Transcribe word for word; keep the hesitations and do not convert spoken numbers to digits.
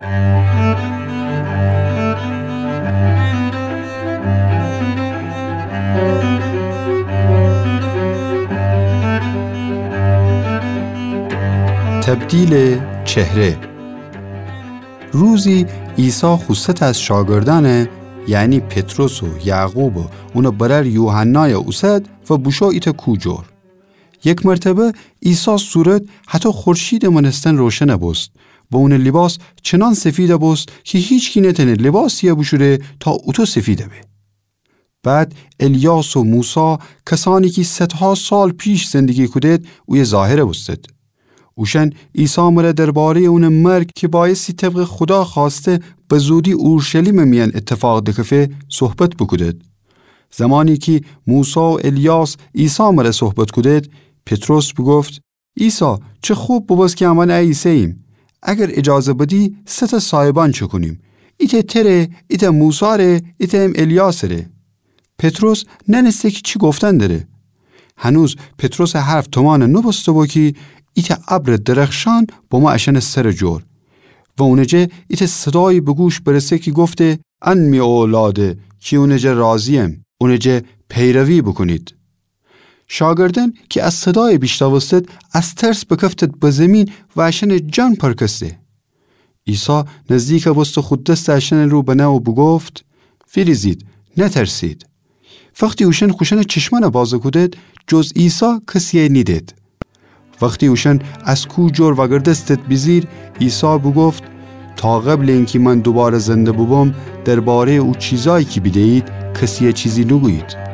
تبدیل چهره. روزی عیسی خو ست از شاگردأنه، یعنی پطرس و یعقوب و اونٚ برأر یوحنای اوسد و بوشو ایتأ کو جور. یک مرتبه عیسی صورت هتو خورشیدٚ مأنستن روشن بوست و اونٚ لیباس چنان سفید بوست کی هیچکی نتأنه لیباسیی بوشوره تا اوتو سفید به. بعد الیاس و موسی، کسأنی کی صدها سال پیش زندگی کودید، اویه ظاهر بوستید. اوشأن عیسی مره درباره‌یٚ اونٚ مرگ کی بأیستی طبقٚ خودا خوأسته بزودی اورشلیمٚ میأن ایتفاق دکفه، صحبت بوکودید. زمانی کی موسی و الیاس عیسی مره صحبت کودید، پطرس بوگفت: عیسی، چه خوب بوبوست کی امأن ایسه‌ییم. اگر ایجازه بدی، سه تأ صایبأن چکونیم. ایتأ تره، ایتأ موسی ره، ایتأ الیاس ره. پطرس نأنسته کی چی گفتن دره. هنوز پطرسٚ حرف تومأن نوبوسته‌بو کی ایتأ ابرٚ درخشان بمو اشأنٚ سرٚ جور. و اونٚ جه ایتأ صدایی به گوش برسه کی گفته: ان می اولاده کی اونٚ جه راضییم، اونٚ جه پیروی بوکونید. شاگردأن کی ا صدای بیشنوستید، از ترس بکفتید به زیمین و اشأنٚ جان پرکسته. عیسی نزدیک بوسته خو دستٚ اشأنٚ رو بنه و بوگفت: ویریزید، نترسید. وختی اوشأن خوشأنٚ چشمأن بازه کودید، جز عیسی کسیی نیدید. وختی اوشأن از کو جور وأگردستید بیجیر، عیسی بوگفت: تا قبلٚ اینکی من دوباره زنده بوبوم، درباره‌یٚ او چیزایی کی بیده‌یید، کسیی چیزی نوگویید.